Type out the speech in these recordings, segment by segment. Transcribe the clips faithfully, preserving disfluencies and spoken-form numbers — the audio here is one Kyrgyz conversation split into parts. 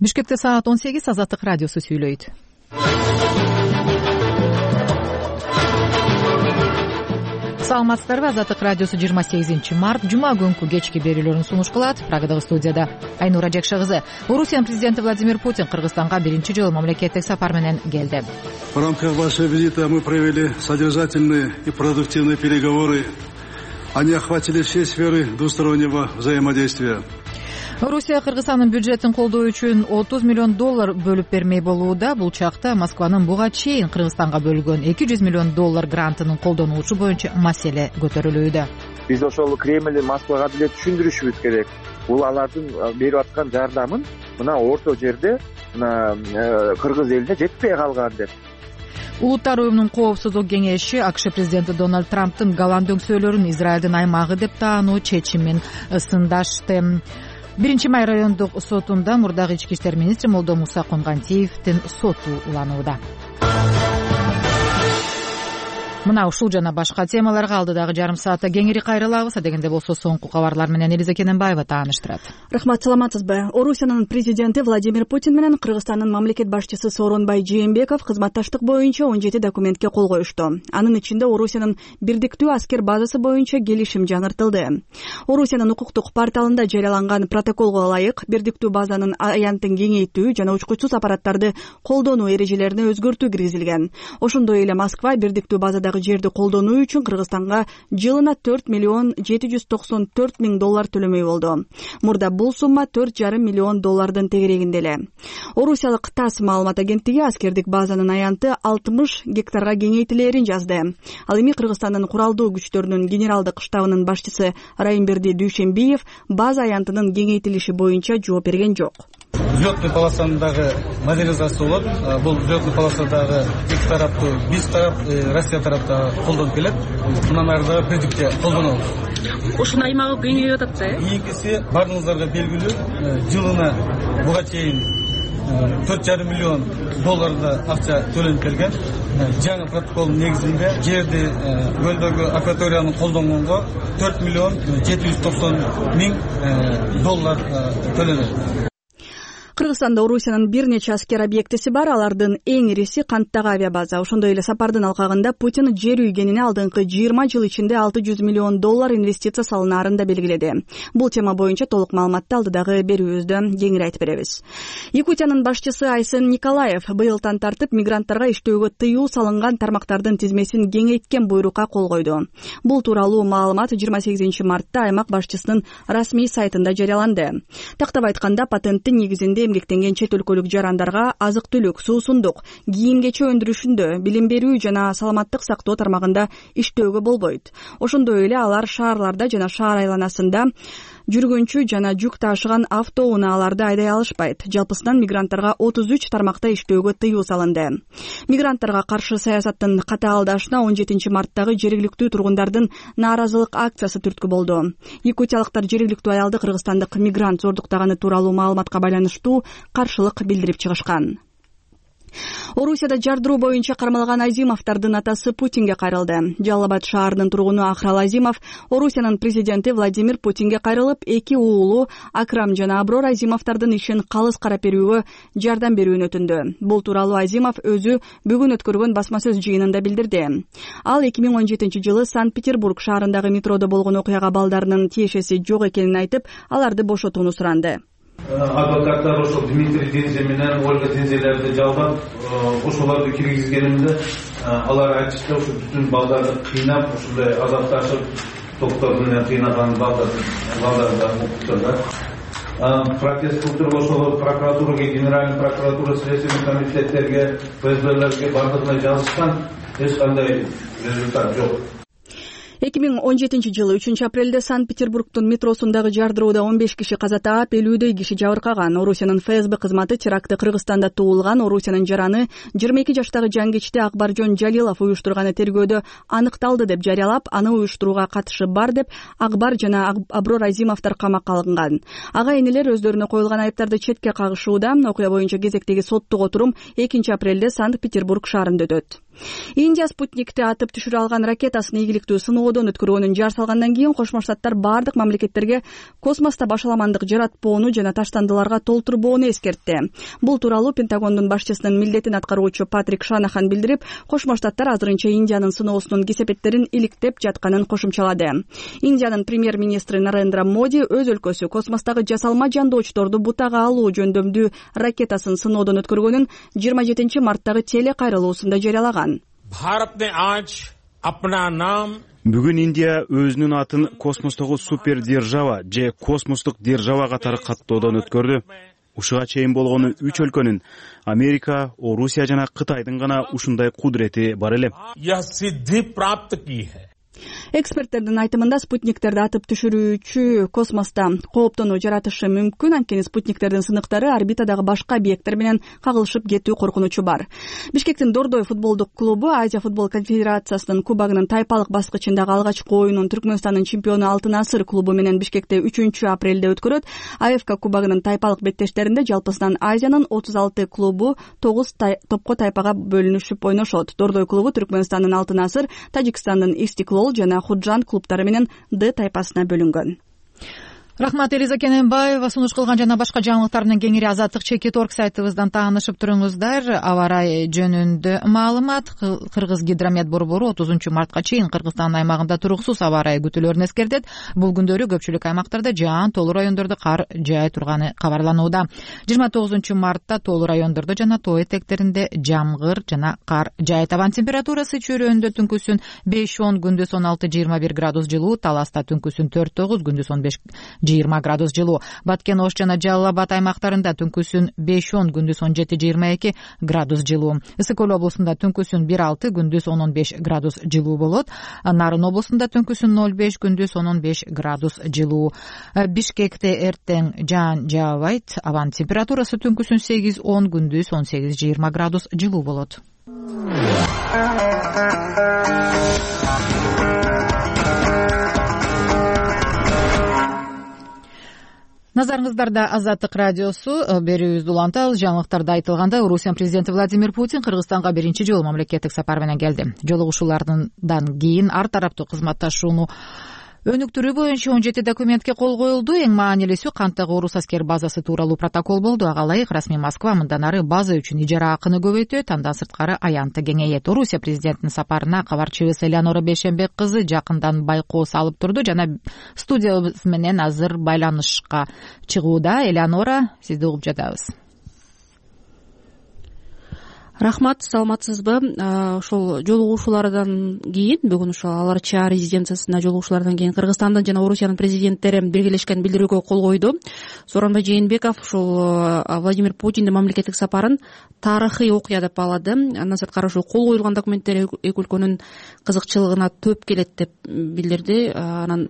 Бишкекте саат он сегиз. Азаттык радиосу сүйлөйт. Саламатсыздарбы? Азаттык радиосу жыйырма сегизинчи март жума күнкү кечки берүүлөрүн сунуш кылат. Прагадагы студияда Айнура Жекше кызы. Орусиянын президенти Владимир Путин Кыргызстанга биринчи жолу мамлекеттик сапар менен келди. В рамках вашего визита мы провели содержательные и продуктивные переговоры. Они охватили все сферы двустороннего взаимодействия. Орусия Кыргызстандын бюджетин колдоо үчүн отуз миллион доллар бөлүп бермей болууда. Бул чакта Москванын буга чейин Кыргызстанга бөлгөн эки жүз миллион доллар грантынын колдонулушу боюнча маселе көтөрүлүүдө. Биз ошол Кремль Москвага деле түшүндүрүшүбүз керек. Бул алардын берип аткан жардамын мына орто жерде мына кыргыз элине жетпей калган деп. Улуттар уюмунун коопсуздук кеңеши АКШ президенти Дональд Трамптын голланд өңсөөлөрүн Израилдин аймагы деп таануу чечимин сындашты. Биринчи май райондук сотунда мурдагы ички иштер министри Молдо Муса Конгантиевдин соту уланууда. Мына ушул жана башка темаларга алдыдагы жарым саатта кеңири кайрылабыз. Дегенде болсо соңку кабарлар менен Элиза Кененбаева тааныштырат. Рахмат, саламатсызбы? Орусиянын президенти Владимир Путин менен Кыргызстандын мамлекет башчысы Сооронбай Жээнбеков кызматташтык боюнча он жети документке кол коюшту. Анын ичинде Орусиянын бирдиктүү аскер базасы боюнча келишим жаңыртылды. Орусиянын укуктук порталында жарыяланган протоколго ылайык бирдиктүү базанын аянтын кеңейтүү жана учкучсуз аппараттарды колдонуу эрежелерине өзгөртүү киргизилген. Ошондой эле Москва бирдиктүү базада жерди колдонуу үчүн Кыргызстанга жылына төрт миллион жети жүз токсон төрт миң доллар төлөмөй болду. Мурда бул сумма төрт жарым миллион доллардын тегерегинде эле. Орусиялык ТАСС маалымат агенттиги аскердик базанын аянты алтымыш гектарга кеңейтилээрин жазды. Ал эми Кыргызстандын куралдуу күчтөрүнүн генералдык штабынын башчысы Райымберди Дүйшенбиев база аянтынын кеңейтилиши боюнча жооп берген жок. Взлетный полосандагы модернизация болот. Бул взлетный полосадагы эки тараптуу биз тарап, Россия тарапта колдонуп келет. Мындан ары дагы бирдикте колдонобуз. Ушунун аймагы кеңейип атат да. Ийгиси баарыңыздарга белгилүү, жылына буга чейин төрт жарым миллион долларда акча төлөнүп келген. Жаңы протоколдун негизинде жерди көлдөгү акваторияны колдонгонго төрт миллион жети жүз токсон миң доллар төлөнөт. Кыргызстанда Орусиянын бир нече аскер объектиси бар. Алардын эң ириси Канттагы авиабаза. Ошондой эле сапардын алкагында Путин жер үйгенине алдыңкы жыйырма жыл ичинде алты жүз миллион доллар инвестиция салынаарын да белгиледи. Бул тема боюнча толук маалыматты алдыдагы берүүбүздө кеңири айтып беребиз. Якутиянын башчысы Айсен Николаев быйылдан тартып мигранттарга иштөөгө тыюу салынган тармактардын тизмесин кеңейткен буйрукка кол койду. Бул тууралуу маалымат жыйырма сегизинчи мартта аймак башчысынын расмий сайтында жарыяланды. Тактап айтканда, патенттин негизинде эмгектенген чет өлкөлүк жарандарга азык-түлүк, суусундук, кийим-кече өндүрүшүндө, билим берүү жана саламаттык сактоо тармагында иштөөгө болбойт. Ошондой эле алар шаарларда жана шаар айланасында жүргүнчү жана жүк ташыган автоунааларды айдай алышпайт. Жалпысынан мигранттарга отуз үч тармакта иштөөгө тыюу салынды. Мигранттарга каршы саясаттын катаалдашына он жетинчи марттагы жергиликтүү тургундардын нааразылык акциясы түрткү болду. Якутиялыктар жергиликтүү аялды кыргызстандык мигрант зордуктаганы тууралуу маалыматка байланыштуу каршылык билдирип чыгышкан. Орусияда жардыруу боюнча кармалган Азимовдардын атасы Путинге кайрылды. Жалал Абад шаарынын тургуну Ахрал Азимов Орусиянын президенти Владимир Путинге кайрылып, эки уулу Акрам жана Аброр Азимовдардын ишин калыс карап берүүгө жардам берүүнү өтүндү. Бул тууралуу Азимов өзү бүгүн өткөргөн басма сөз жыйынында билдирди. Ал эки миң он жетинчи жылы Санкт-Петербург шаарындагы метродо болгон окуяга балдарынын тиешеси жок экенин айтып, аларды бошотууну суранды. Адвокаттар ошол Дмитрий Дензе менен Ольга Дензелерди жалдап, ошолорду киргизгенимде алар айтышты, ошо бүтүн балдарды кыйнап, ушундай азапташып, токтор менен кыйнаган балдарды балдарды укуктар. Протест кылдырып ошол прокуратурага, генеральный прокуратура, следственный комитеттерге, ФСБлерге бардыгына жазышкан, эч кандай результат жок. эки миң он жетинчи жылы үчүнчү апрелде Санкт-Петербургдун метросундагы жардырууда он беш киши каза таап, элүүдөй киши жабыркаган. Орусиянын ФСБ кызматы терактты Кыргызстанда туулган Орусиянын жараны жыйырма эки жаштагы жангичти Акбаржон Жалилов уюштурганы тергөөдө аныкталды деп жарыялап, аны уюштурууга катышы бар деп Акбар жана Аброр Азимовдор камакка алынган. Ага энелер өздөрүнө коюлган айыптарды четке кагышууда. Окуя боюнча кезектеги соттук отурум экинчи апрелде Санкт-Петербург шаарында өтөт. Индия спутникти атып түшүрө алган ракетасын ийгиликтүү сыноодон өткөргөнүн жар салгандан кийин Кошмо Штаттар бардык мамлекеттерге космоста башаламандык жаратпоону жана таштандыларга толтурбоону эскертти. Бул тууралуу Пентагондун башчысынын милдетин аткаруучу Патрик Шанахан билдирип, Кошмо Штаттар азырынча Индиянын сыноосунун кесепеттерин иликтеп жатканын кошумчалады. Индиянын премьер-министри Нарендра Моди өз өлкөсү космостогу жасалма жандоочторду бутага алуу жөндөмдүү ракетасын сыноодон өткөргөнүн жыйырма жетинчи марттагы телекайрылуусунда жарыялаган. Бүгүн Индия өзүнүн атын космостогу супер держава же космостук держава катары каттоодон өткөрдү. Ушуга чейин болгону үч өлкөнүн Америка, Орусия жана Кытайдын гана ушундай кудурети бар эле. Эксперттердин айтымында спутниктерди атып түшүрүүчү космоста кооптонуу жаратышы мүмкүн, анткени спутниктердин сыныктары орбитадагы башка объекттер менен кагылышып кетүү коркунучу бар. Бишкектин Дордой футболдук клубу Азия футбол конфедерациясынын кубогунун тайпалык баскычындагы алгачкы оюнун Түркмөнстандын чемпиону Алтын Асыр клубу менен Бишкекте үчүнчү апрелде өткөрөт. А Ф К кубогунун тайпалык беттештеринде жалпысынан Азиянын отуз алты клубу тогуз тай... топко тайпага бөлүнүшүп ойношот. Дордой клубу Түркмөнстандын Алтын Асыр, Тажикстандын Истиклол жана Худжан клубтары менен Д тайпасына бөлүнгөн. Рахмат, Элиза Кененбаева. Сунуш кылган жана башка жаңылыктар менен кеңири Азаттык чекит орг сайтыбыздан таанышып туруңуздар. Аба ырайы жөнүндө маалымат. Кыргыз гидромет борбору отузунчу мартка чейин Кыргызстан аймагында туруксуз аба ырайы күтүүлөрүн эскертет. Бул күндөрү көпчүлүк аймактарда жаан тоолуу райондордо кар жаай турганы кабарланууда. жыйырма тогузунчу мартта тоолуу райондордо жана тоо этектеринде жамгыр жана кар жаайт. Табан температурасы чөйрөөндө түнкүсүн беш он, күндүз он алты жыйырма бир градус жылуу, Таласта түнкүсүн төрт тогуз, күндүз он беш жыйырма градус жылуу. Баткен, Ош жана Жалал Абад аймактарында түнкүсүн беш он, күндүз он жети жыйырма эки градус жылуу. Ысык Көл облусунда түнкүсүн бир алты, күндүз он он беш градус жылуу болот. Нарын облусунда түнкүсүн ноль беш, күндүз он он беш градус жылуу. Бишкекте эртең жаан жаабайт. Абанын температурасы түнкүсүн сегиз он, күндүз он сегиз жыйырма градус жылуу болот. Назарыңыздарда Азаттык радиосу. Берүүбүздү улантабыз. Жаңылыктарда айтылганда, Орусия президенти Владимир Путин Кыргызстанга биринчи жолу мамлекеттик сапар менен келди. Жолугушуулардан кийин ар тараптуу кызматташууну өнүктүрүү боюнча он жети документке кол коюлду. Эң маанилүүсү канттагы орус аскер базасы тууралуу протокол болду. Ага ылайык расмий Москва мындан ары база үчүн ижара акыны көбөйтөт, андан сырткары аянты кеңейет. Орусия президентинин сапарына кабарчыбыз Элеонора Бейшембек кызы жакындан байкоо салып турду жана студиябыз менен азыр байланышка чыгууда. Элеонора, сизди угуп жатабыз. Рахмат, саламатсызбы? Ошол жолугушуулардан кийин, бүгүн ошол Ала Арча резиденциясында жолугушуулардан кийин Кыргызстандын жана Орусиянын президенттери биргелешкен билдирүүгө кол койду. Сооронбай Жээнбеков ошол Владимир Путиндин мамлекеттик сапарын тарыхый окуя деп баалады. Андан сырткары ошол кол коюлган документтер эки өлкөнүн кызыкчылыгына төп келет деп билдирди. Анан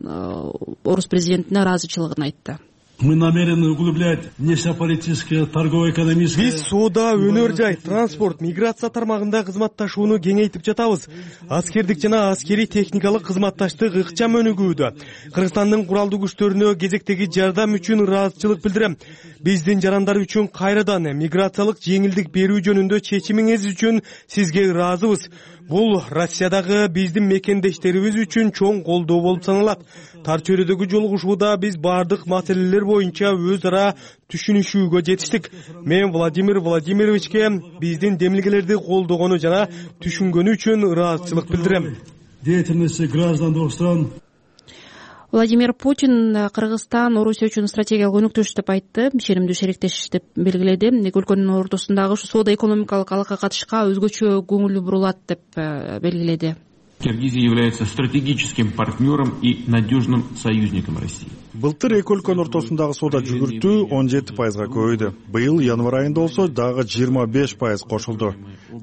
орус президентине ыраазычылыгын айтты. Мы намерены углублять внешнеполитическое, торгово-экономическое. Биз соода, өнөр жай, транспорт, миграция тармагында кызматташууну кеңейтип жатабыз. Аскердик жана аскерий техникалык кызматташтык ыкчам өнүгүүдө. Кыргызстандын куралдуу күчтөрүнө кезектеги жардам үчүн ыраазычылык билдирем. Биздин жарандар үчүн кайрадан миграциялык жеңилдик берүү жөнүндө чечимиңиз үчүн сизге ыраазыбыз. Бул Россиядагы биздин мекендештерибиз үчүн чоң колдоо болуп саналат. Тар чөйрөдөгү жолугушууда биз бардык маселелер боюнча өз ара түшүнүшүүгө жетиштик. Мен Владимир Владимировичке биздин демилгелерди колдогону жана түшүнгөнү үчүн ыраазычылык билдирем. Деятельности граждан двух стран. Владимир Путин Кыргызстан Орусия үчүн стратегиялык өнүктүш деп айтты, ишенимдүү шериктеш деп белгиледи. Эки өлкөнүн ортосундагы соода экономикалык алака катышка өзгөчө көңүл бурулат деп белгиледи. Киргизия является стратегическим партнером и надежным союзником России. Былтыр эки өлкөнүн ортосундагы соода жүгүртүү он жети пайызга көбөйдү. Быйыл январь айында болсо дагы жыйырма беш пайыз кошулду.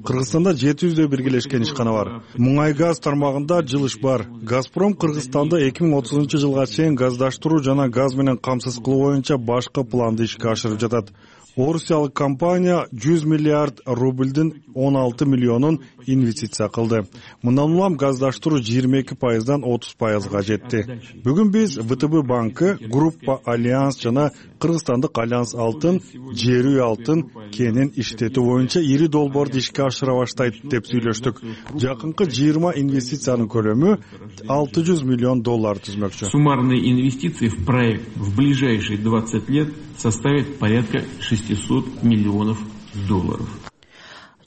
Кыргызстанда жети жүздөй биргелешкен ишкана бар. Муңай газ тармагында жылыш бар. Газпром Кыргызстанды эки миң отузунчу жылга чейин газдаштыруу жана газ менен камсыз кылуу боюнча башкы планды ишке ашырып жатат. Орусиялык компания жүз миллиард рубльдин он алты миллионун инвестиция кылды. Мындан улам газдаштыруу жыйырма эки пайыздан отуз пайызга жетти. Бүгүн биз В Т Б банкы, Группа Альянс жана Кыргызстандык Альянс алтын, Жер үй алтын, кенин иштетүү боюнча ири долбоорду ишке ашыра баштайт деп сүйлөштүк. Жакынкы жыйырма инвестициянын көлөмү алты жүз миллион доллар түзмөкчү. Суммарные инвестиции в проект в ближайшие двадцать лет составит порядка шестьсот миллионов долларов.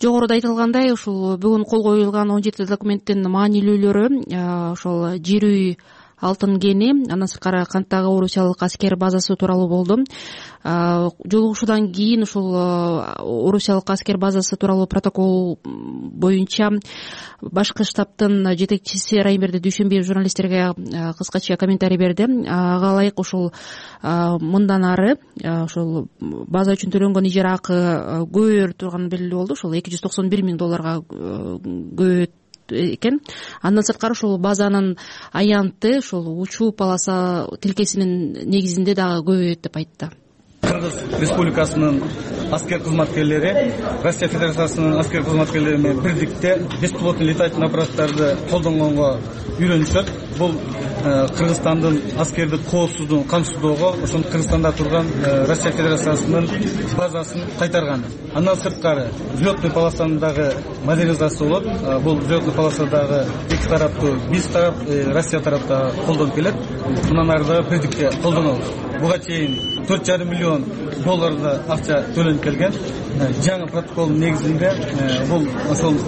Жогоруда айтылгандай, ушул бүгүн кол коюлган он жети документтин маанилүүлөрү ошол жер үй, алтын кени, андан сырткары канттагы орусиялык аскер базасы тууралуу болду. Жолугушуудан кийин ушул орусиялык аскер базасы тууралуу протокол боюнча башкы штабтын жетекчиси Раймберди Дүйшөнбиев журналисттерге кыскача комментарий берди. Ага ылайык ушул мындан ары ошол база үчүн төлөнгөн ижара акы көбөйөр турганы белгилүү болду. Ошол эки жүз токсон бир миң долларга көбөйөт экен. Андан сырткары ушул базанын аянты ушул учуу полоса тилкесинин негизинде дагы көбөйөт деп айтты. Кыргыз Республикасынын аскер кызматкерлери Россия Федерациясынын аскер кызматкерлери менен бирдикте беспилотный летательный аппараттарды колдонгонго үйрөнүшөт. Бул Кыргызстандын аскердик коопсуздугун камсыздоого ошол Кыргызстанда турган Россия Федерациясынын базасын кайтарган. Андан сырткары взлетный полосандагы модернизация болот. Бул взлетный полосадагы эки тараптуу биз тарап, Россия тарапта колдонуп келет. Мындан ары дагы бирдикте колдонобуз. Буга чейин төрт жарым миллион долларда акча төлөнүп келген. Жаңы протоколдун негизинде бул ошол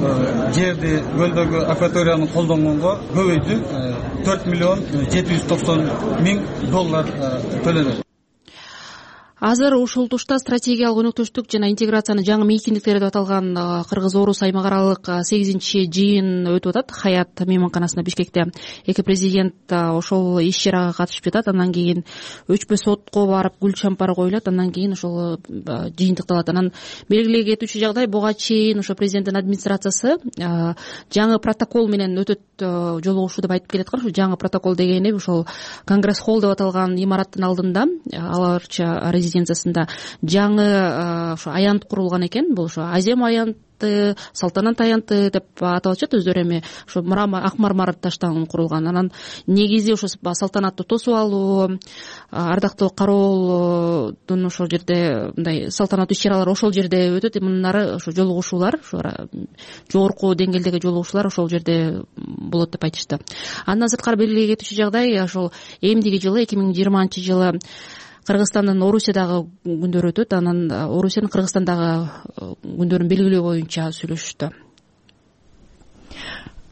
жерди, көлдөгү акваторияны колдонгонго көбөйдү. төрт миллион жети жүз токсон миң доллар төлөнөт. Азыр ушул тушта стратегиялык өнөктөштүк жана интеграциянын жаңы мейкиндиктери деп аталган Кыргыз-Орус аймак аралык сегизинчи жыйын өтүп атат. Хаят мейманканасында Бишкекте эки президент ошол иш чарага катышып жатат. Андан кийин өчпө сотко барып гүл шампар коюлат. Андан кийин ошол жыйынтыкталат. Анан белгилей кетүүчү жагдай, буга чейин ошо президенттин администрациясы жаңы протокол менен өтөт жолугушуу деп айтып келаткан. Ушул жаңы протокол дегени ушол Конгресс холл деп аталган имараттын алдында аларча резиденциясында жаңы ошо аянт курулган экен. Бул ошо Азем аянты, Салтанат аянты деп аталышат. Өздөрү эми ошо ак мармар таштан курулган. Анан негизи ошо салтанатты тосуп алуу, ардактуу кароолдун ошол жерде мындай салтанаттуу иш-чаралар ошол жерде өтөт. Мындан ары ошо жолугушуулар, ошо жогорку деңгээлдеги жолугушуулар ошол жерде болот деп айтышты. Андан сырткары белгилей кетүүчү жагдай, ошол эмдиги жылы эки миң жыйырманчы жылы Кыргызстандын Орусиядагы күндөрү өтөт. Анан Орусиянын Кыргызстандагы күндөрүн белгилөө боюнча сүйлөшүштү.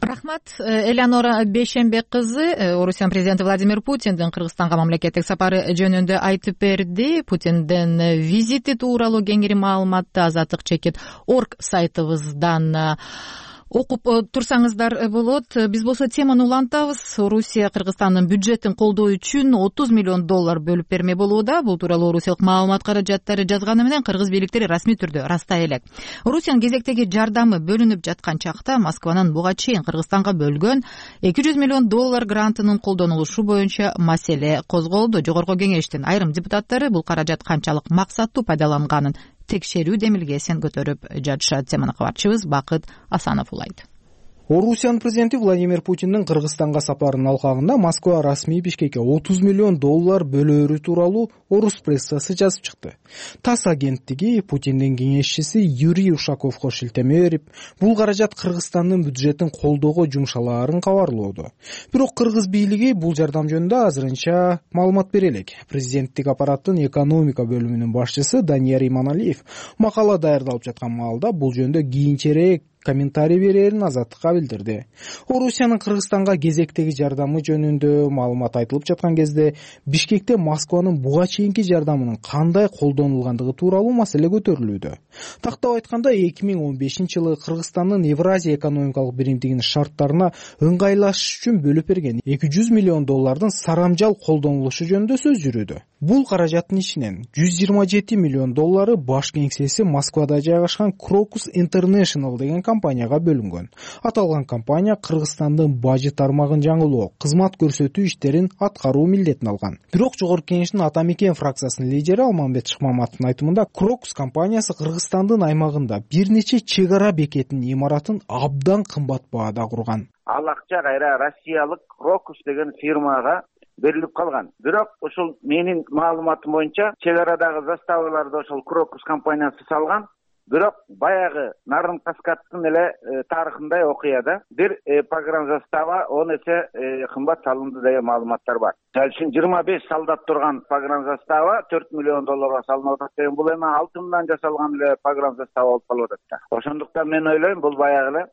Рахмат. Элеонора Бейшембек кызы Орусиянын президенти Владимир Путиндин Кыргызстанга мамлекеттик сапары жөнүндө айтып берди. Путиндин визити тууралуу кеңири маалыматты азаттык чекит орг сайтыбыздан окуп турсаңыздар болот. Биз болсо теманы улантабыз. Орусия Кыргызстандын бюджетин колдоо үчүн отуз миллион доллар бөлүп берме болууда. Бул тууралуу орусиялык маалымат каражаттары жазганы менен кыргыз бийликтери расмий түрдө ырастай элек. Орусиянын кезектеги жардамы бөлүнүп жаткан чакта Москванын буга чейин Кыргызстанга бөлгөн эки жүз миллион доллар грантынын колдонулушу боюнча маселе козголду. Жогорку кеңештин айрым депутаттары бул каражат канчалык максаттуу пайдаланганын текшерүү демилгесин көтөрүп жатышат. Теманы кабарчыбыз Бакыт Асанов улайт. Орусиянын президенти Владимир Путиндин Кыргызстанга сапарынын алкагында Москва расмий Бишкекке отуз миллион доллар бөлөөрү тууралуу орус прессасы жазып чыкты. ТАСС агенттиги Путиндин кеңешчиси Юрий Ушаковго шилтеме берип, бул каражат Кыргызстандын бюджетин колдоого жумшалаарын кабарлоодо. Бирок кыргыз бийлиги бул жардам жөнүндө азырынча маалымат бере элек. Президенттик аппараттын экономика бөлүмүнүн башчысы Данияр Иманалиев макала даярдалып жаткан маалда бул жөнүндө кийинчерээк комментарий берерин азаттыкка билдирди. Орусиянын Кыргызстанга кезектеги жардамы жөнүндө маалымат айтылып жаткан кезде Бишкекте Москванын буга чейинки жардамынын кандай колдонулгандыгы тууралуу маселе көтөрүлүүдө. Тактап айтканда эки миң он бешинчи жылы Кыргызстандын Евразия экономикалык биримдигинин шарттарына ыңгайлашыш үчүн бөлүп берген эки жүз миллион доллардын сарамжал колдонулушу жөнүндө сөз жүрүүдө. Бул каражаттын ичинен жүз жыйырма жети миллион доллары баш кеңсеси Москвада жайгашкан Crocus International деген компанияга бөлүнгөн. Аталган компания Кыргызстандын бажы тармагын жаңылоо, кызмат көрсөтүү иштерин аткаруу милдетин алган. Бирок жогорку кеңештин Ата Мекен фракциясынын лидери Алмамбет Шыкмаматовдун айтымында Crocus компаниясы Кыргызстандын аймагында бир нече чек ара бекетинин имаратын абдан кымбат баада курган. Ал акча кайра россиялык Crocus деген фирмага берилип калган. Бирок ушул менин маалыматым боюнча чек арадагы заставаларды ошол Крокус компаниясы салган. Бирок баягы Нарын Каскадтын эле тарыхындай окуяда бир погран застава он эсе кымбат салынды деген маалыматтар бар. Ал үчүн жыйырма беш солдат турган погран застава төрт миллион долларга салынып атат деген, бул эми алтындан жасалган эле погран застава болуп калып атат да. Ошондуктан мен ойлойм, бул баягы эле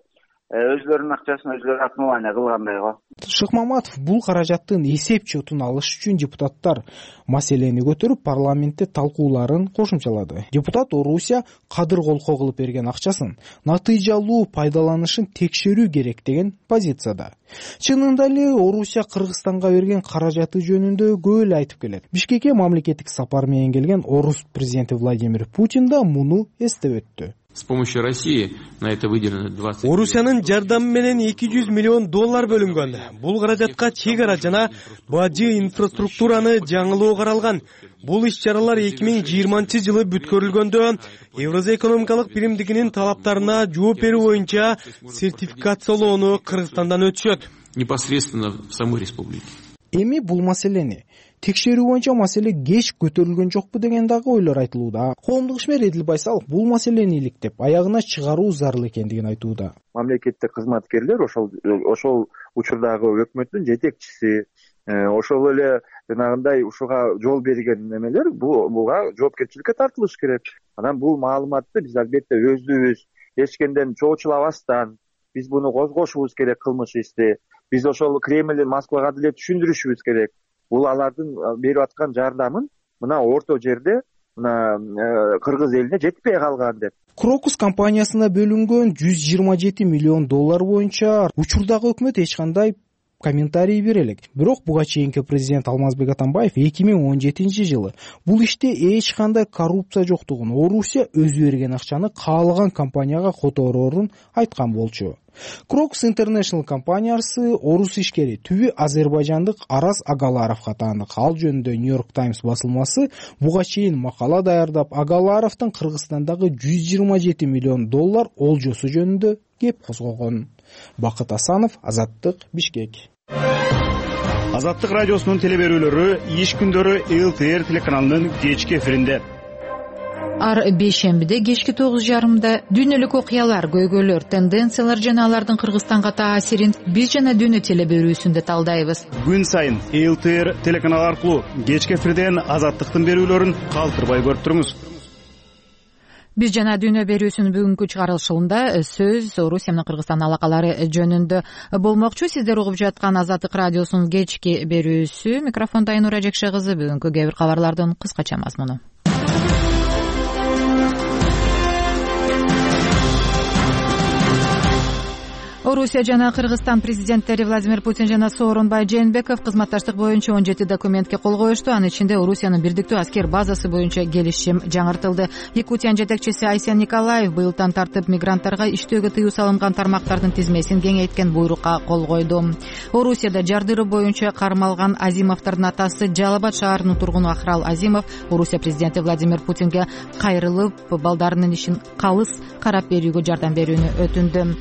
өзлөрүнүн акчасын өзлөрү отмывание кылгандай го. Шыкмаматов бул каражаттын эсеп чотун алыш үчүн депутаттар маселени көтөрүп парламентте талкууларын кошумчалады. Депутат Орусия кадыр колко кылып берген акчасын натыйжалуу пайдаланышын текшерүү керек деген позицияда. Чынында эле Орусия Кыргызстанга берген каражаты жөнүндө көп эле айтып келет. Бишкекке мамлекеттик сапар менен келген Орус президенти Владимир Путин да муну эстеп өттү. С помощью России на это выделено двадцать. Орусиянын жардамы менен эки жүз миллион доллар бөлүнгөн. Бул каражатка чек ара жана бажы инфраструктураны жаңылоо каралган. Бул иш-чаралар эки миң жыйырманчы жылы бүткөрүлгөндө Евразия экономикалык биримдигинин талаптарына жооп берүү боюнча сертификациялоону Кыргызстандан өтүшөт. Непосредственно в самой республике. Эми бул маселени текшерүү боюнча маселе кеч көтөрүлгөн жокпу деген дагы ойлор айтылууда. Коомдук ишмер Эдил Байсалов бул маселени иликтеп, аягына чыгаруу зарыл экендигин айтууда. Мамлекеттик кызматкерлер ошол ошол учурдагы өкмөттүн жетекчиси, ошол эле жанагындай ушуга жол берген немелер буга жоопкерчиликке тартылыш керек. Анан бул маалыматты биз албетте өздүбүз эч кимден чоочулабастан биз буну козгошубуз керек, кылмыш ишти. Биз ошол Кремль Москвага деле түшүндүрүшүбүз керек. Бул алардын берип аткан жардамын мына орто жерде мына кыргыз элине жетпей калган деп. Крокус компаниясына бөлүнгөн жүз жыйырма жети миллион доллар боюнча учурдагы өкмөт эч кандай комментарий бере элек. Бирок буга чейинки президент Алмазбек Атамбаев эки миң он жетинчи жылы бул иште эч кандай коррупция жоктугун, Орусия өзү берген акчаны каалаган компанияга котороорун айткан болчу. Крокус International компаниясы орус ишкери түбү азербайжандык Арас Агаларовго таандык. Ал жөнүндө Нью-Йорк Таймс басылмасы буга чейин макала даярдап, Агаларовдун Кыргызстандагы жүз жыйырма жети миллион доллар олжосу жөнүндө кеп козгогон. Бакыт Асанов, Азаттык, Бишкек. Азаттык радиосунун телеберүүлөрү иш күндөрү эл ти эр телеканалынын кечки эфиринде. Ар бейшембиде кечки тогуз жарымда дүйнөлүк окуялар, көйгөйлөр, тенденциялар жана алардын Кыргызстанга таасирин биз жана дүйнө телеберүүсүндө талдайбыз. Күн сайын эл ти эр телеканалы аркылуу кечки эфирден Азаттыктын берүүлөрүн калтырбай көрүп туруңуз. Биз жана дүйнө берүүсүнүн бүгүнкү чыгарылышында сөз Орусия менен Кыргызстан алакалары жөнүндө болмокчу. Сиздер угуп жаткан Азаттык радиосунун кечки берүүсү. Микрофондо Айнура Жекше кызы. Бүгүнкү кээ бир кабарлардын кыскача мазмуну. Орусия жана Кыргызстан президенттери Владимир Путин жана Сооронбай Жээнбеков кызматташтык боюнча он жети документке кол коюшту. Анын ичинде Орусиянын бирдиктүү аскер базасы боюнча келишим жаңыртылды. Якутиянын жетекчиси Айсен Николаев быйылдан тартып мигранттарга иштөөгө тыюу салынган тармактардын тизмесин кеңейткен буйрукка кол койду. Орусияда жардыруу боюнча кармалган Азимовдордун атасы Жалал Абад шаарынын тургуну Ахрал Азимов Орусия президенти Владимир Путинге кайрылып, балдарынын ишин калыс карап берүүгө жардам берүүнү өтүндү.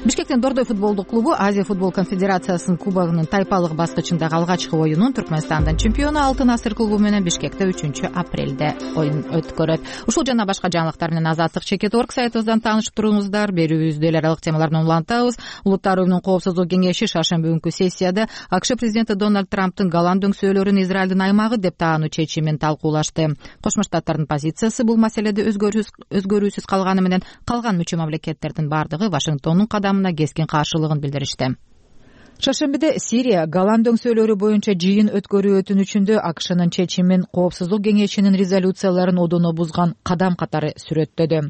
Бишкектин Дордой футболдук клубу Азия футбол конфедерациясынын кубогунун тайпалык баскычындагы алгачкы оюнун Түркмөнстандын чемпиону Алтын Асыр клубу менен Бишкекте үчүнчү апрелде оюн өткөрөт. Ушул жана башка жаңылыктар менен Азаттык чекит точка орг сайтыбыздан таанышып туруңуздар. Берүүбүздө эл аралык темаларды улантабыз. Улуттар уюмунун коопсуздук кеңеши шаршемби күнкү сессияда АКШ президенти Дональд Трамптын голланд өңсөөлөрүн Израилдин аймагы деп таануу чечимин талкуулашты. Кошмо Штаттардын позициясы бул маселеде өзгөрүүсүз калганы менен калган мүчө мамлекеттердин бардыгы Вашингтондун кадамына кескин каршылыгын билдиришти. Шаршембиде Сирия голланд өңсөөлөрү боюнча жыйын өткөрүү өтүнүчүндө АКШнын чечимин Коопсуздук кеңешинин резолюцияларын одоно бузган кадам катары сүрөттөдү.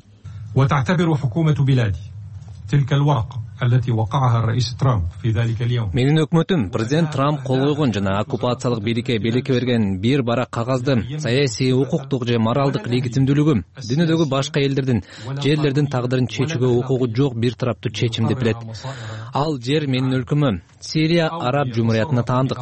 Менин өкмөтүм президент Трамп кол койгон жана оккупациялык бийликке белекке берген бир барак кагазды саясий, укуктук же моралдык легитимдүүлүгү дүйнөдөгү башка элдердин, жерлердин тагдырын чечүүгө укугу жок бир тараптуу чечим деп билет. Ал жер менин өлкөмө, Сирия араб жумуриятына таандык.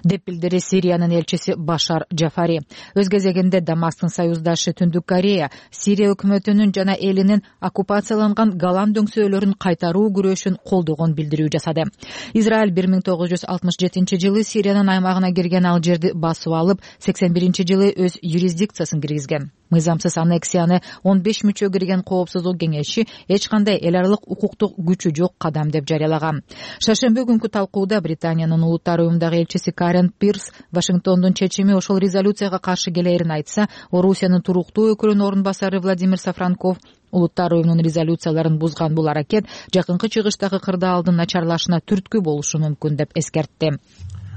деп билдирди Сириянын элчиси Башар Джафари. Өз кезегинде Дамасктын союздашы Түндүк Корея Сирия өкмөтүнүн жана элинин оккупацияланган Голан дөңсөөлөрүн кайтаруу күрөшүн колдогон билдирүү жасады. Израиль бир миң тогуз жүз алтымыш жетинчи жылы Сириянын аймагына кирген ал жерди басып алып, сексен биринчи жылы өз юрисдикциясын киргизген. Мыйзамсыз аннексияны он беш мүчө кирген Коопсуздук кеңеши эч кандай эл аралык укуктук күчү жок кадам деп жарыялаган. Шаршемби күнкү талкууда Британиянын улуттар уюмундагы элчиси Карен Пирс Вашингтондун чечими ошол резолюцияга каршы келерин айтса, Орусиянын туруктуу өкүлүнүн орун басары Владимир Сафранков улуттар уюмунун резолюцияларын бузган бул аракет жакынкы чыгыштагы кырдаалдын начарлашына түрткү болушу мүмкүн деп эскертти.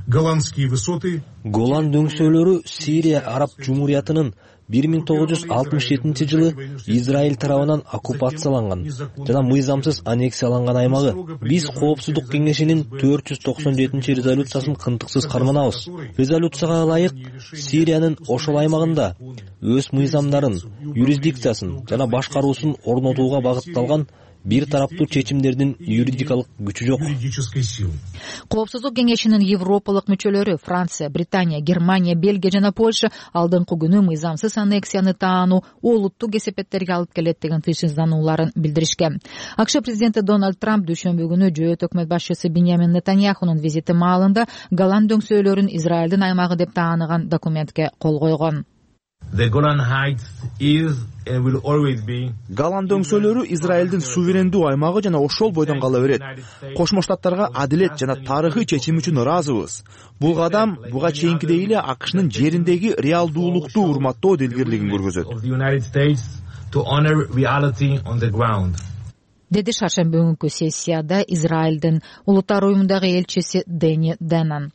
Голландские высоты. Голан дөңсөөлөрү Сирия Араб Жумуриятынын бир миң тогуз жүз алтымыш жетинчи жылы Израиль тарабынан оккупацияланган жана мыйзамсыз аннексияланган аймагы. Биз Коопсуздук кеңешинин төрт жүз токсон жетинчи резолюциясын кынтыксыз карманабыз. Резолюцияга ылайык Сириянын ошол аймагында өз мыйзамдарын, юрисдикциясын жана башкаруусун орнотууга багытталган бир тараптуу чечимдердин юридикалык күчү жок. Коопсуздук кеңешинин европалык мүчөлөрү Франция, Британия, Германия, Бельгия жана Польша алдыңкы күнү мыйзамсыз аннексияны таануу олуттук кесепеттерге алып келет деген тыйшынданууларын билдиришкен. АКШ президенти Дональд Трамп дүйшөмбү күнү жөөт өкмөт башчысы Беньямин Нетаньяхунун визити маалында Голан дөңсөөлөрүн Израилдин аймагы деп тааныган документке кол койгон. Голан дөңсөөлөрү Израилдин суверендүү аймагы жана ошол бойдон кала берет. Кошмо Штаттарга адилет жана тарыхый чечим үчүн ыраазыбыз. Бул кадам буга чейинкидей эле АКШнын жериндеги реалдуулукту урматтоо делгерлигин көргөзөт. Деди шаршемби күнкү сессияда Израилдин улуттар уюмундагы элчиси Дэни Деннан.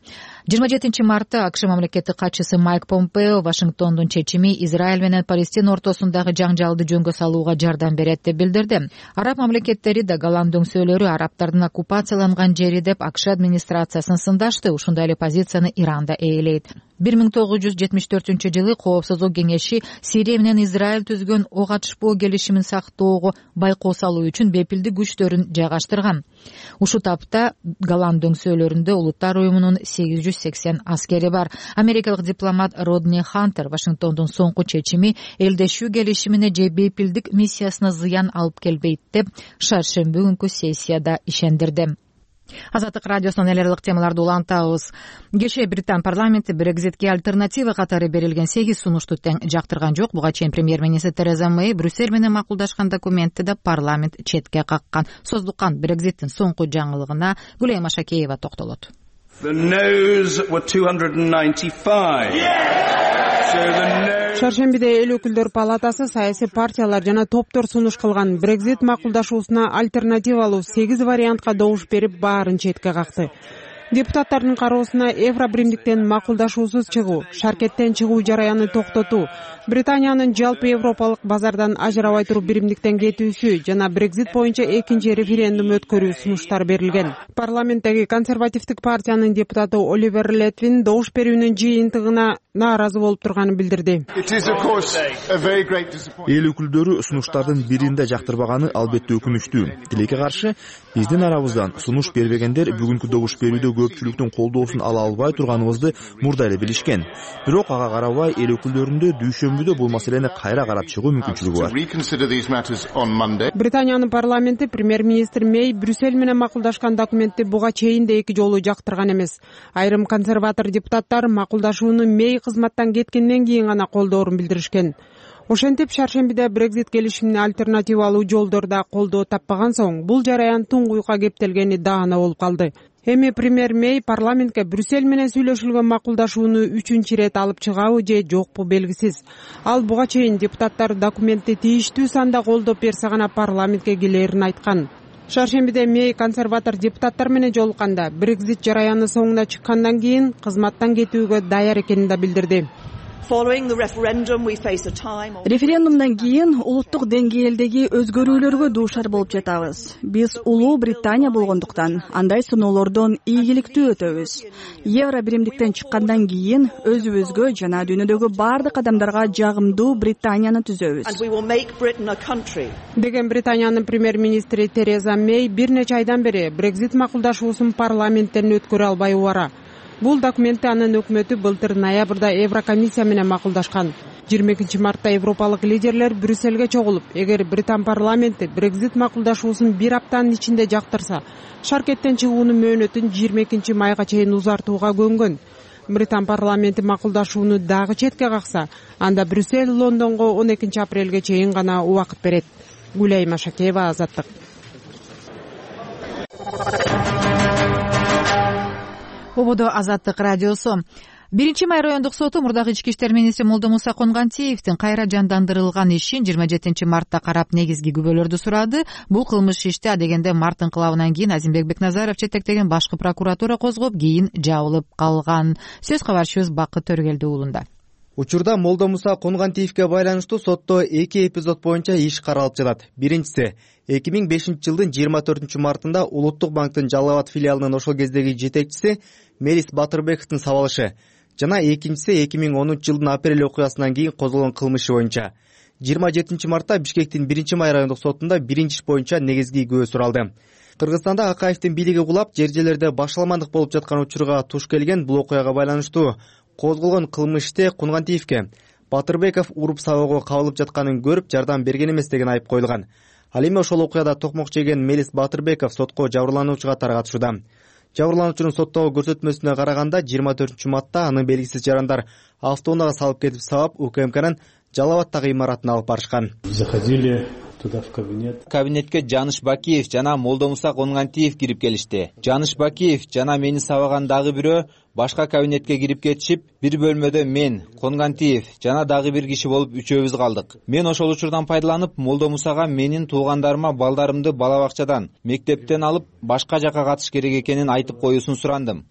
жыйырма жетинчи мартта АКШ мамлекеттик катчысы Майк Помпео Вашингтондун чечими Израиль менен Палестина ортосундагы жаңжалды жөнгө салууга жардам берет деп билдирди. Араб мамлекеттери да Голан дөңсөөлөрү арабтардын оккупацияланган жери деп АКШ администрациясын сындашты. Ушундай эле позицияны Иран да ээлейт. бир миң тогуз жүз жетимиш төртүнчү жылы Коопсуздук кеңеши Сирия менен Израиль түзгөн ок атышпоо келишимин сактоого байкоо салуу үчүн бепилдик күчтөрүн жайгаштырган. Ушул тапта Голан дөңсөөлөрүндө улуттар уюмунун сегиз жүз сексен аскери бар. Америкалык дипломат Родни Хантер Вашингтондун соңку чечими элдешүү келишимине же бепилдик миссиясына зыян алып келбейт деп шаршемби күнкү сессияда ишендирди. Азаттык радиосунан эл аралык темаларды улантабыз. Кеше Британ парламенти Брекзитке альтернатива катары берилген сегиз сунушту тең жактырган жок. Буга чейин премьер-министр Тереза Мэй Брюссель менен макулдашкан документти да парламент четке каккан. Создуккан Брекзиттин соңку жаңылыгына Гүлайым Машакеева токтолот. The no's were two hundred ninety-five. So the no... Шаршембиде эл өкүлдөр палатасы саясий партиялар жана топтор сунуш кылган Брекзит макулдашуусуна альтернативалуу сегиз вариантка добуш берип баарын четке какты. Депутаттардын кароосуна Евробиримдиктен макулдашуусуз чыгуу, шаркеттен чыгуу жараянын токтотуу, Британиянын жалпы европалык базардан ажырабай туруп биримдиктен кетүүсү жана Брекзит боюнча экинчи референдум өткөрүү сунуштар берилген. Парламенттеги консервативдик партиянын депутаты Оливер Летвин добуш берүүнүн жыйынтыгына нааразы болуп турганын билдирди. Эл өкүлдөрү сунуштардын биринде жактырбаганы албетте өкүнүчтүү. Тилекке каршы биздин арабыздан сунуш бербегендер бүгүнкү добуш берүүдө көпчүлүктүн колдоосун ала албай турганыбызды мурда эле билишкен. Бирок ага карабай эл өкүлдөрүндө дүйшөмбүдө бул маселени кайра карап чыгуу мүмкүнчүлүгү бар. Британиянын парламенти премьер-министр Мэй Брюссель менен макулдашкан документти буга чейин да эки жолу жактырган эмес. Айрым консерватор депутаттар макулдашууну Мэй кызматтан кеткенден кийин гана колдоорун билдиришкен. Ошентип шаршембиде Брекзит келишимине альтернативалуу жолдорда колдоо таппаган соң бул жараян туңгуйга кептелгени даана болуп калды. Эми премьер Мэй парламентке Брюссель менен сүйлөшүлгөн макулдашууну үчүнчү ирет алып чыгабы же жокпу белгисиз. Ал буга чейин депутаттар документти тийиштүү санда колдоп берсе гана парламентке келерин айткан. Шаршембиде Мэй консерватор депутаттар менен жолукканда Брекзит жараяны соңуна чыккандан кийин кызматтан кетүүгө даяр экенин да билдирди. Референдумдан кийин улуттук деңгээлдеги өзгөрүүлөргө дуушар болуп жатабыз. Биз улуу Британия болгондуктан андай сыноолордон ийгиликтүү өтөбүз. Евробиримдиктен чыккандан кийин өзүбүзгө жана дүйнөдөгү бардык адамдарга жагымдуу Британияны түзөбүз. Деген Британиянын премьер-министри Тереза Мэй бир нече айдан бери Брекзит макулдашуусун парламенттен өткөрө албай убара. Бул документти анын өкмөтү былтыр ноябрда Еврокомиссия менен макулдашкан. жыйырма экинчи мартта европалык лидерлер Брюссельге чогулуп, эгер Британ парламенти Брекзит макулдашуусун бир аптанын ичинде жактырса, шаркеттен чыгуунун мөөнөтүн жыйырма экинчи майга чейин узартууга көнгөн. Британ парламенти макулдашууну дагы четке какса, анда Брюссель Лондонго он экинчи апрелге чейин гана убакыт берет. Гүлай Машакеева, Азаттык. Ободо Азаттык радиосу. Биринчи май райондук соту мурдагы ички иштер министри Молдомуса Конгантиевдин кайра жандандырылган ишин жыйырма жетинчи мартта карап негизги күбөлөрдү сурады. Бул кылмыш ишти адегенде март инкылабынан кийин Азимбек Бекназаров жетектеген башкы прокуратура козгоп, кийин жабылып калган. Сөз кабарчыбыз Бакыт Төргелди уулунда. Учурда Молдомуса Конгантиевге байланыштуу сотто эки эпизод боюнча иш каралып жатат. Биринчиси эки миң бешинчи жылдын жыйырма төртүнчү мартында Улуттук банктын Жалал Абад филиалынын ошол кездеги жетекчиси Мелис Батырбековдун сабалышы. Жана экинчиси эки миң онунчу жылдын апрель окуясынан кийин козголгон кылмышы боюнча. жыйырма жетинчи мартта Бишкектин биринчи май райондук сотунда биринчи иш боюнча негизги күбө суралды. Кыргызстанда Акаевдин бийлиги кулап, жер-жерлерде башаламандык болуп жаткан учурга туш келген бул окуяга байланыштуу козголгон кылмышты Конгантиевге Батырбеков уруп сабоого кабылып жатканын көрүп, жардам берген эмес деген айып коюлган. Ал эми ошол окуяда токмок жеген Мелис Батырбеков сотко жабырлануучу катары катышууда. Жабырлануучунун соттогу көрсөтмөсүнө караганда жыйырма төртүнчү мартта аны белгисиз жарандар автоунаага салып кетип сабап, УКМКнын Жалал Абадтагы имаратына алып барышкан. Заходили туда в кабинет. Кабинетке Жаныш Бакиев жана Молдомуса Конгантиев кирип келишти. Жаныш Бакиев жана мени сабаган дагы бирөө башка кабинетке кирип кетишип, бир бөлмөдө мен, Конгантиев жана дагы бир киши болуп үчөөбүз калдык. Мен ошол учурдан пайдаланып, Молдомусага менин туугандарыма балдарымды бала бакчадан, мектептен алып, башка жака катыш керек экенин айтып коюусун сурандым.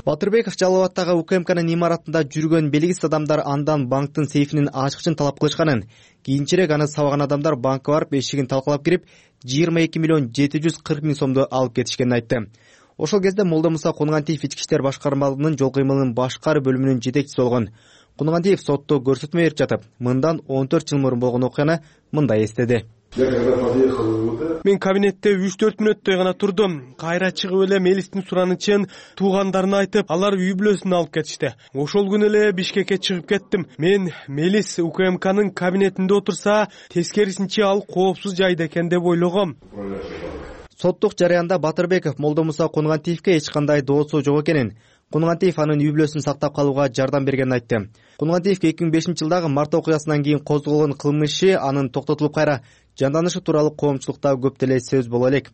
Батырбеков Жалал Абадтагы УКМКнын имаратында жүргөн белгисиз адамдар андан банктын сейфинин ачкычын талап кылышканын, кийинчерээк аны сабаган адамдар банкка барып эшигин талкалап кирип, жыйырма эки миллион жети жүз кырк миң сомду алып кетишкенин айтты. Ошол кезде Молдомуса Конгантиев ички иштер башкармалыгынын жол кыймылынын башкар бөлүмүнүн жетекчиси болгон. Конгантиев сотто көрсөтмө берип жатып, мындан он төрт жыл мурун болгон окуяны мындай эстеди. Мен кабинетте үч төрт мүнөттөй гана турдум. Кайра чыгып эле Мелистин суранычын туугандарына айтып, алар үй бүлөсүн алып кетишти. Ошол күнү эле Бишкекке чыгып кеттим. Мен Мелис УКМКнын кабинетинде отурса, тескерисинче ал коопсуз жайда экен деп ойлогом. Соттук жарыянда Батырбеков Молдомуса Конгантиевге эч кандай доосу жок экенин, Конгантиев анын үй бүлөсүн сактап калууга жардам бергенин айтты. Конгантиевге эки миң бешинчи жылдагы март окуясынан кийин козголгон кылмышы анын токтотулуп кайра жанданышы тууралуу коомчулукта көп деле сөз боло элек.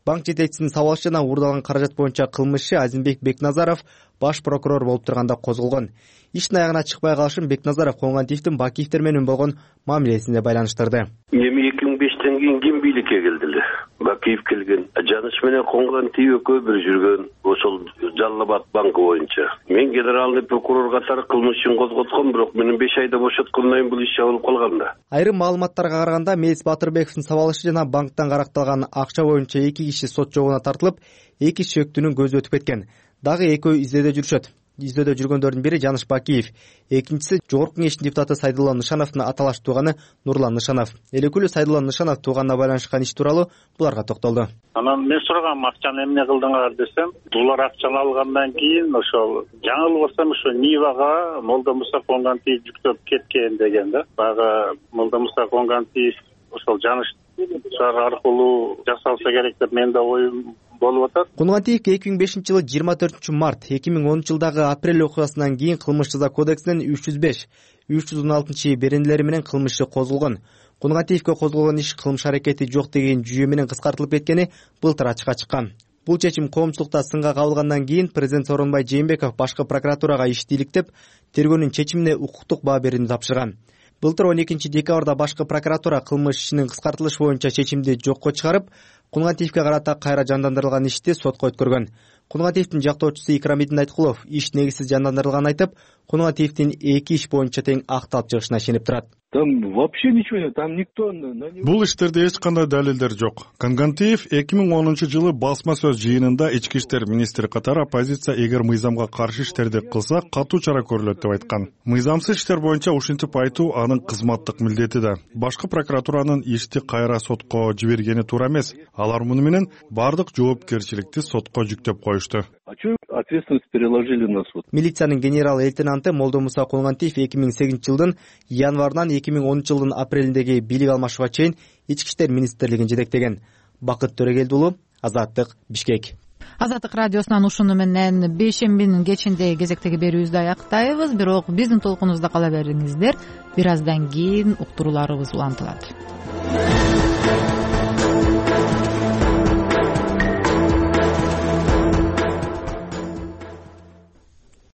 Банк жетекчисинин сабалышы жана уурдалган каражат боюнча кылмышы Азимбек Бекназаров баш прокурор болуп турганда козголгон. Иштин аягына чыкпай калышын Бекназаров Конгантиевдин Бакиевдер менен болгон мамилесине байланыштырды. Эми эки миң бештен кийин ким бийликке келди эле? Бакиев келген. Жаныш менен Конгантиев экөө бир жүргөн ошол Жалал Абад банкы боюнча. Мен генеральный прокурор катары кылмышын козготком, бирок менин беш айда бошоткондон кийин бул иш жабылып калган да. Айрым маалыматтарга караганда Мелис Батырбековдун сабалышы жана банктан каракталган акча боюнча эки киши сот жобуна тартылып, эки шектүүнүн көзү өтүп кеткен. Дагы экөө издөөдө жүрүшөт. Издөөдө жүргөндөрдүн бири Жаныш Бакиев, экинчиси Жогорку Кеңештин депутаты Сайдулла Нышановдун аталаш тууганы Нурлан Нышанов. Элекүүлүү Сайдулла Нышанов тууганына байланышкан иш тууралуу буларга токтолду. Анан мен сурагам, акчаны эмне кылдыңар десем, булар акчаны алгандан кийин ошол жаңылбасам ошо Нивага Молдомуса Конгантиев жүктөп кеткен деген да. Бага Молдомуса Конгантиев ошол Жаныш аркылуу жасалса керек деп менде оюм болуп атат. Конгантиевге эки миң бешинчи жылы жыйырма төртүнчү март, эки миң онунчу жылдагы апрель окуясынан кийин кылмыш жаза кодексинин үч жүз беш, үч жүз он алтынчы беренелери менен кылмышы козголгон. Конгантиевге козголгон иш кылмыш аракети жок деген жүйө менен кыскартылып кеткени былтыр ачыкка чыккан. Бул чечим коомчулукта сынга кабылгандан кийин президент Сооронбай Жээнбеков башкы прокуратурага ишти иликтеп, тергөөнүн чечимине укуктук баа берүүнү тапшырган. Былтыр он экинчи декабрда башкы прокуратура кылмыш ишинин кыскартылышы боюнча чечимди жокко чыгарып, Конгантиевге карата кайра жандандырылган ишти сотко өткөргөн. Конгантиевдин жактоочусу Икрамидин Айткулов иш негизсиз жандандырылганын айтып, Конгантиевдин эки иш боюнча тең акталып чыгышына ишенип турат. Там вообще ничего нет, там никто... Бул иштерде эч кандай далилдер жок. Конгантиев эки миң онунчу жылы басма сөз жыйынында ички иштер министри катары оппозиция эгер мыйзамга каршы иштерди кылса катуу чара көрүлөт деп айткан. Мыйзамсыз иштер боюнча ушинтип айтуу анын кызматтык милдети да. Башкы прокуратуранын ишти кайра сотко жибергени туура эмес. Алар муну менен бардык жоопкерчиликти сотко жүктөп коюшту. А чё ответственность переложили на суд? Милициянын генерал лейтенанты Молдомуса Конгантиев эки миң сегизинчи жылдын январынан эки миң онунчу жылдын апрелиндеги бийлик алмашууга чейин ички иштер министрлигин жетектеген. Бакыт Төрөгелди уулу, Азаттык, Бишкек. Азаттык радиосунан ушуну менен бейшембинин кечинде кезектеги берүүбүздү аяктайбыз. Бирок биздин толкунубузда кала бериңиздер. Бир аздан кийин уктурууларыбыз улантылат.